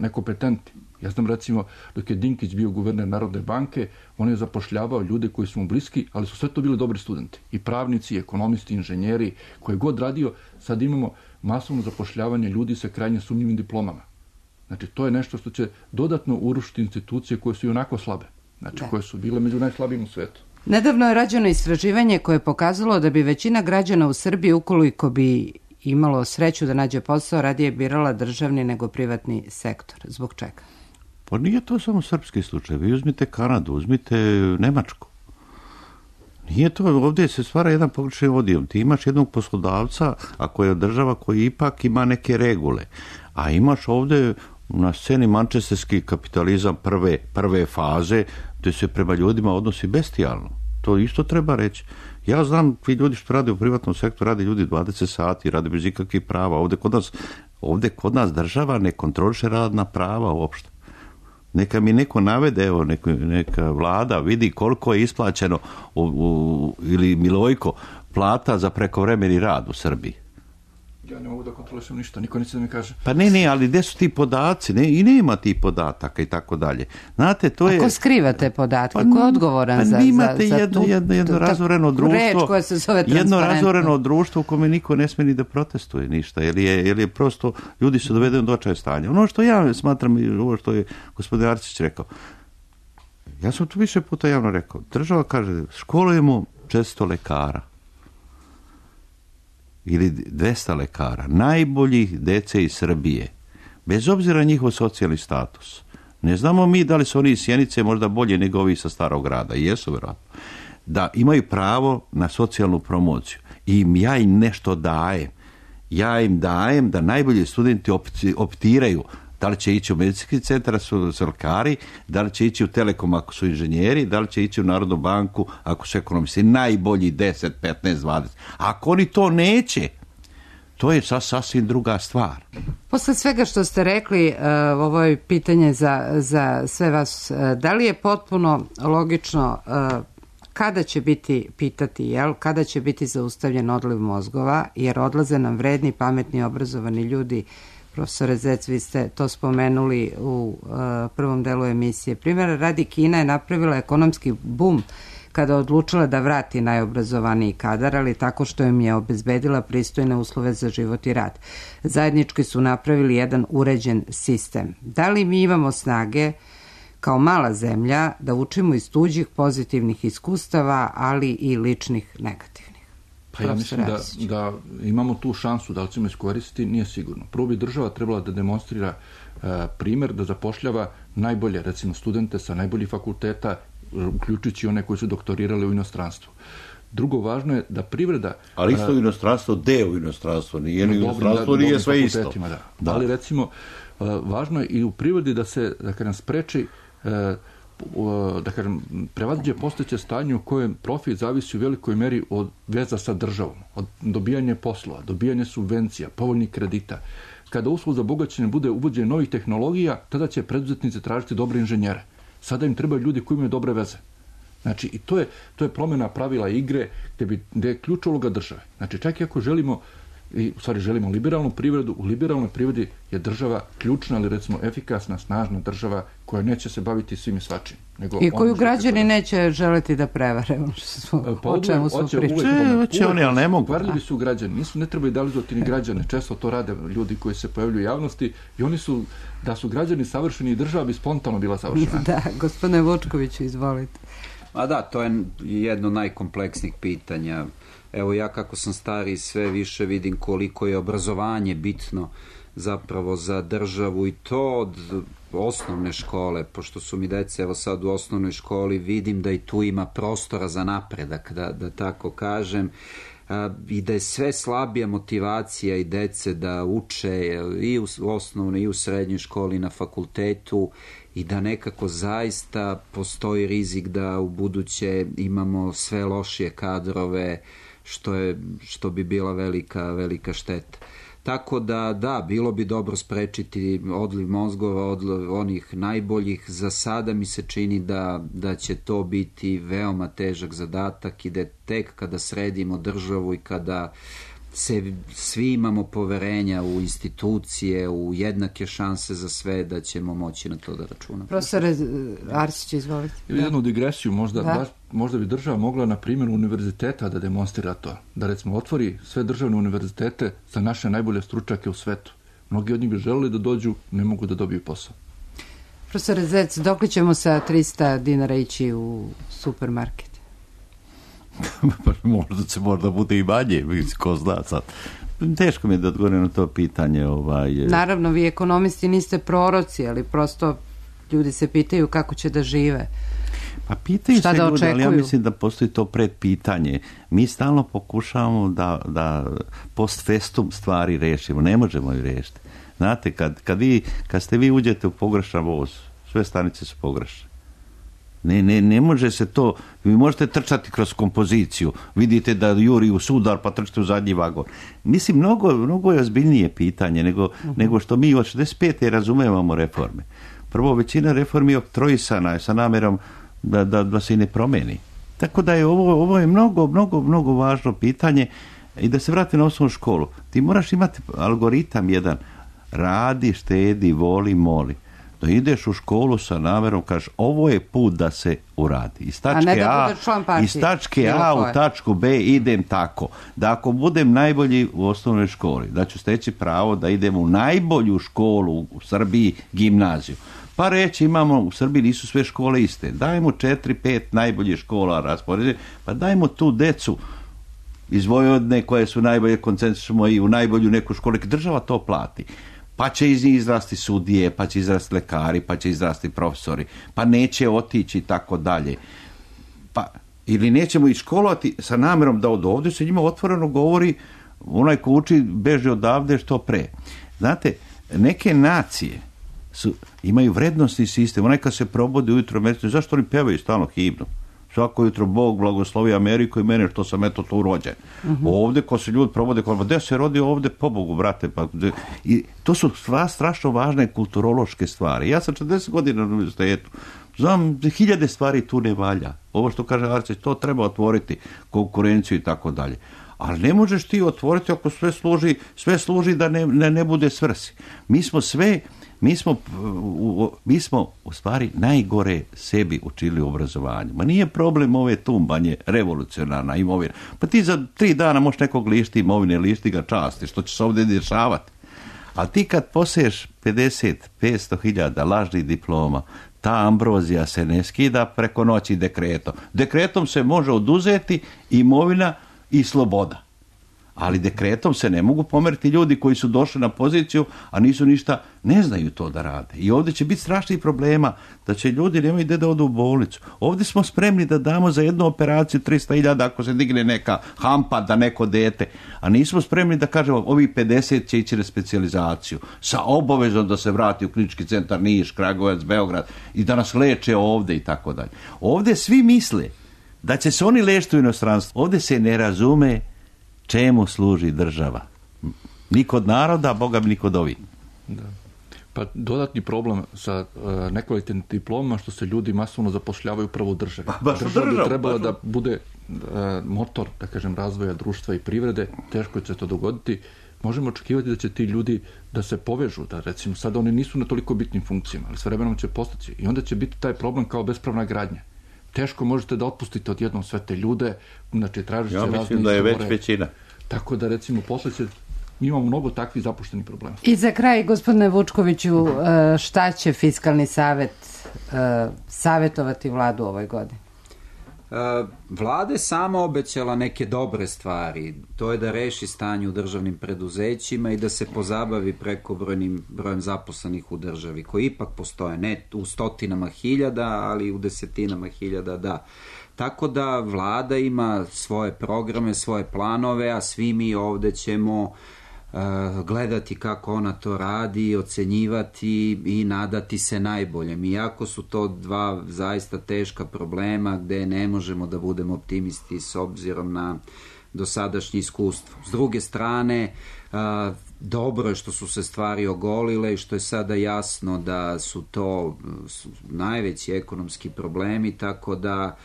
nekompetentni. Ja znam recimo dok je Dinkić bio guverner Narodne banke, on je zapošljavao ljude koji su mu bliski, ali su sve to bili dobri studenti. I pravnici, i ekonomisti, inženjeri, koje god radio, sad imamo masovno zapošljavanje ljudi sa krajnje sumnjivim diplomama. Znači, to je nešto što će dodatno urušiti institucije koje su i onako slabe. Znači, koje su bile među najslabijim u svetu. Nedavno je rađeno istraživanje koje je pokazalo da bi većina građana u Srbiji, ukoliko bi imalo sreću da nađe posao, radije birala državni nego privatni sektor. Zbog čega? Pa nije to samo srpski slučaj. Vi uzmite Kanadu, uzmite Nemačku. Nije to, ovdje se stvara jedan pogrešan odijel. Ti imaš jednog poslodavca, ako je država koji ipak ima neke regule. A imaš ovdje na sceni mančesterski kapitalizam prve faze, gdje se prema ljudima odnosi bestijalno. To isto treba reći. Ja znam, vi ljudi što rade u privatnom sektoru, rade ljudi 20 sati, rade bez ikakvih prava. Ovdje kod nas država ne kontroliše radna prava uopšte. Neka mi neko navede, evo, neka vlada vidi koliko je isplaćeno ili Milojko plata za prekovremeni rad u Srbiji. Ja ne mogu da kontrolišem ništa, niko neće da mi kaže. Pa ne, ali gde su ti podaci? I nema ti podataka i tako dalje. Znate, to je... Ako skrivate podatke, ko je odgovoran za jedno razoreno društvo, reč koja se zove transparentno? Jedno razoreno društvo u kome niko ne sme ni da protestuje ništa, jer je prosto, ljudi su dovedeni do očaja stanja. Ono što ja smatram, ovo što je gospodin Arsić rekao, ja sam tu više puta javno rekao, država kaže, školujemo 400 lekara. Ili 200 lekara, najboljih dece iz Srbije, bez obzira na njihov socijalni status. Ne znamo mi da li su oni iz Sjenice možda bolje nego ovi sa Starog grada, i jesu vjerojatno, da imaju pravo na socijalnu promociju. I ja im nešto dajem. Ja im dajem da najbolji studenti optiraju da li će ići u medicinski centar su lekari, da li će ići u Telekom ako su inženjeri, da li će ići u Narodnu banku ako su ekonomisti. Najbolji 10, 15, 20. Ako oni to neće, to je sasvim druga stvar. Posle svega što ste rekli, ovo je pitanje za sve vas. Da li je potpuno logično kada će biti, kada će biti zaustavljen odliv mozgova, jer odlaze nam vredni, pametni, obrazovani ljudi. Profesore Zec, vi ste to spomenuli u prvom delu emisije. Primjer radi, Kina je napravila ekonomski bum kada odlučila da vrati najobrazovaniji kadar, ali tako što im je obezbedila pristojne uslove za život i rad. Zajednički su napravili jedan uređen sistem. Da li mi imamo snage kao mala zemlja da učimo iz tuđih pozitivnih iskustava, ali i ličnih negativnih? Pa ja mislim da imamo tu šansu, da li ćemo iskoristiti, nije sigurno. Prvo bi država trebala da demonstrira primjer, da zapošljava najbolje, recimo studente sa najboljih fakulteta, uključujući one koji su doktorirali u inostranstvu. Drugo, važno je da privreda... Ali isto inostranstvo, deo inostranstva, nije inostranstvo, nije sve isto. Da. Ali recimo, važno je i u privredi da se, da nam spreči prevaziđe postojeće stanje u kojem profit zavisi u velikoj meri od veza sa državom, od dobijanja poslova, dobijanja subvencija, povoljnih kredita. Kada uslov za bogaćenje bude uvođenje novih tehnologija, tada će preduzetnici tražiti dobre inženjere. Sada im trebaju ljudi koji imaju dobre veze. Znači, i to je promjena pravila igre gdje je ključ uloga države. Znači, čak i ako želimo i u stvari želimo liberalnu privredu. U liberalnoj privredi je država ključna, ali recimo efikasna, snažna država koja neće se baviti svim i svačim. I koju građani neće želeti da prevare, o čemu su pričali. Ali ne mogu. Kvarljivi su građani, ne treba idealizovati ni građane, često to rade ljudi koji se pojavljuju u javnosti i oni su, da su građani savršeni i država bi spontano bila savršena. Da, gospodine Vučkoviću, izvolite. A da, to je jedno od najkompleksnijih pitanja. Evo ja kako sam stariji sve više vidim koliko je obrazovanje bitno zapravo za državu i to od osnovne škole, pošto su mi dece evo sad u osnovnoj školi, vidim da i tu ima prostora za napredak, da tako kažem, i da je sve slabija motivacija i dece da uče i u osnovnoj i u srednjoj školi, na fakultetu, i da nekako zaista postoji rizik da u buduće imamo sve lošije kadrove, što bi bila velika šteta. Tako da, bilo bi dobro sprečiti odliv mozgova od onih najboljih. Za sada mi se čini da će to biti veoma težak zadatak i da tek kada sredimo državu i kada svi imamo poverenja u institucije, u jednake šanse za sve, da ćemo moći na to da računamo. Profesore Arsić, izvolite. Jednu digresiju, možda bi država mogla na primjeru univerziteta da demonstrira to. Da recimo otvori sve državne univerzitete za naše najbolje stručnjake u svetu. Mnogi od njih bi želeli da dođu, ne mogu da dobiju posao. Profesore Zec, dok li ćemo sa 300 dinara ići u supermarket? Možda bude i manje, ko zna sad. Teško mi je da odgovorim na to pitanje. Naravno, vi ekonomisti niste proroci, ali prosto ljudi se pitaju kako će da žive. Pa pitaju se ljudi, ali ja mislim da postoji to predpitanje. Mi stalno pokušavamo da post festum stvari rešimo. Ne možemo ju rešiti. Znate, kad ste vi uđete u pogrešan voz, sve stanice su pogrešne. Ne može se to, vi možete trčati kroz kompoziciju, vidite da juri u sudar pa trčite u zadnji vagon. Mislim, mnogo je ozbiljnije pitanje nego što mi od 65. razumevamo reforme. Prvo, većina reformi oktroisana je sa namerom da se i ne promeni. Tako da je ovo je mnogo važno pitanje. I da se vrati na osnovnu školu, ti moraš imati algoritam jedan, radi, štedi, voli, moli. Da ideš u školu sa namerom, kažeš, ovo je put da se uradi. Iz tačke A u tačku B idem tako. Da ako budem najbolji u osnovnoj školi, da ću steći pravo da idem u najbolju školu u Srbiji, gimnaziju. Pa reći, imamo, u Srbiji nisu sve škole iste. Dajmo 4-5 najboljih škola raspoređene, pa dajmo tu decu iz Vojvodine koje su najbolje, koncentrišemo i u najbolju neku školu, država to plati. Pa će iz njih izrasti sudije, pa će izrasti lekari, pa će izrasti profesori, pa neće otići i tako dalje. Pa, ili nećemo i školovati sa namjerom da od ovdje se njima otvoreno govori, onaj ko uči beži odavde što pre. Znate, neke nacije imaju vrednostni sistem, onaj kad se probudi ujutro mjesečno, zašto oni pevaju stalno himnu? Svako jutro Bog blagoslovi Ameriku i mene što sam eto tu rođen. Ovdje ko se ljudi probode, gdje se rodi ovdje, po Bogu, brate. I to su strašno važne kulturološke stvari. Ja sam 40 godina na univerzitetu. Znam, 1000 stvari tu ne valja. Ovo što kaže Arsić, to treba otvoriti, konkurenciju i tako dalje. Ali ne možeš ti otvoriti ako sve služi da ne bude svrsi. Mi smo u stvari najgore sebi učili u obrazovanju. Ma nije problem ove tumbanje, revolucionarna imovina. Pa ti za 3 dana možeš nekog lišti imovine, lišti ga časti, što će se ovdje dešavati. Ali ti kad poseješ 50-500 hiljada lažnih diploma, ta ambrozija se ne skida preko noći dekretom. Dekretom se može oduzeti imovina i sloboda. Ali dekretom se ne mogu pomeriti ljudi koji su došli na poziciju, a nisu ništa, ne znaju to da rade. I ovdje će biti strašnih problema da će ljudi nemaju gdje da odu u bolnicu. Ovdje smo spremni da damo za jednu operaciju 300.000 ako se digne neka hampa da neko dete, a nismo spremni da kažemo ovi 50 će ići na specijalizaciju sa obavezom da se vrati u klinički centar Niš, Kragujevac, Beograd i da nas leče ovdje i tako dalje. Ovdje svi misle da će se oni lečiti u inostranstvu. Ovdje se ne razume čemu služi država. Ni kod naroda, Boga mi ni kod ovih. Da. Pa dodatni problem sa nekvalitetnim diplomama što se ljudi masovno zapošljavaju upravo u državi. Država bi trebala da bude motor, da kažem, razvoja društva i privrede, teško će se to dogoditi. Možemo očekivati da će ti ljudi da se povežu, da recimo sada oni nisu na toliko bitnim funkcijama, ali s vremenom će postati i onda će biti taj problem kao bespravna gradnja. Teško možete da otpustite odjednom sve te ljude, znači tražite razne izbore. Ja mislim da je već većina. Tako da recimo posle će imamo mnogo takvih zapuštenih problema. I za kraj, gospodine Vučkoviću, šta će Fiskalni savet savjetovati vladu u ovoj godini? Vlada je sama obećala neke dobre stvari. To je da reši stanje u državnim preduzećima i da se pozabavi prekobrojnim brojem zaposlenih u državi, koji ipak postoje, ne u stotinama hiljada, ali u desetinama hiljada, da. Tako da vlada ima svoje programe, svoje planove, a svi mi ovde ćemo gledati kako ona to radi, ocenjivati i nadati se najboljem. Iako su to dva zaista teška problema gde ne možemo da budemo optimisti s obzirom na dosadašnje iskustvo. S druge strane, dobro je što su se stvari ogolile i što je sada jasno da su to najveći ekonomski problemi, tako da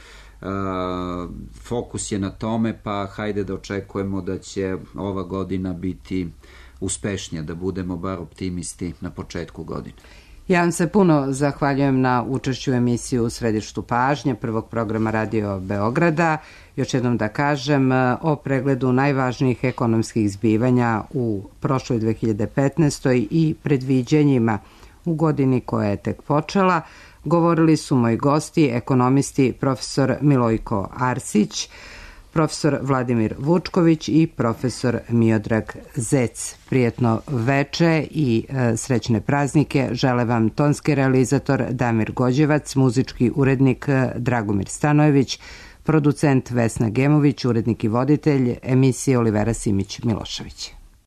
fokus je na tome, pa hajde da očekujemo da će ova godina biti uspešnija, da budemo bar optimisti na početku godine. Ja vam se puno zahvaljujem na učešću u emisiju U središtu pažnje prvog programa Radio Beograda. Još jednom da kažem o pregledu najvažnijih ekonomskih zbivanja u prošloj 2015. i predviđenjima u godini koja je tek počela. Govorili su moji gosti, ekonomisti profesor Milojko Arsić, profesor Vladimir Vučković i profesor Miodrag Zec. Prijetno veče i srećne praznike žele vam tonski realizator Damir Gođevac, muzički urednik Dragomir Stanojević, producent Vesna Gemović, urednik i voditelj emisije Olivera Simić Milošević.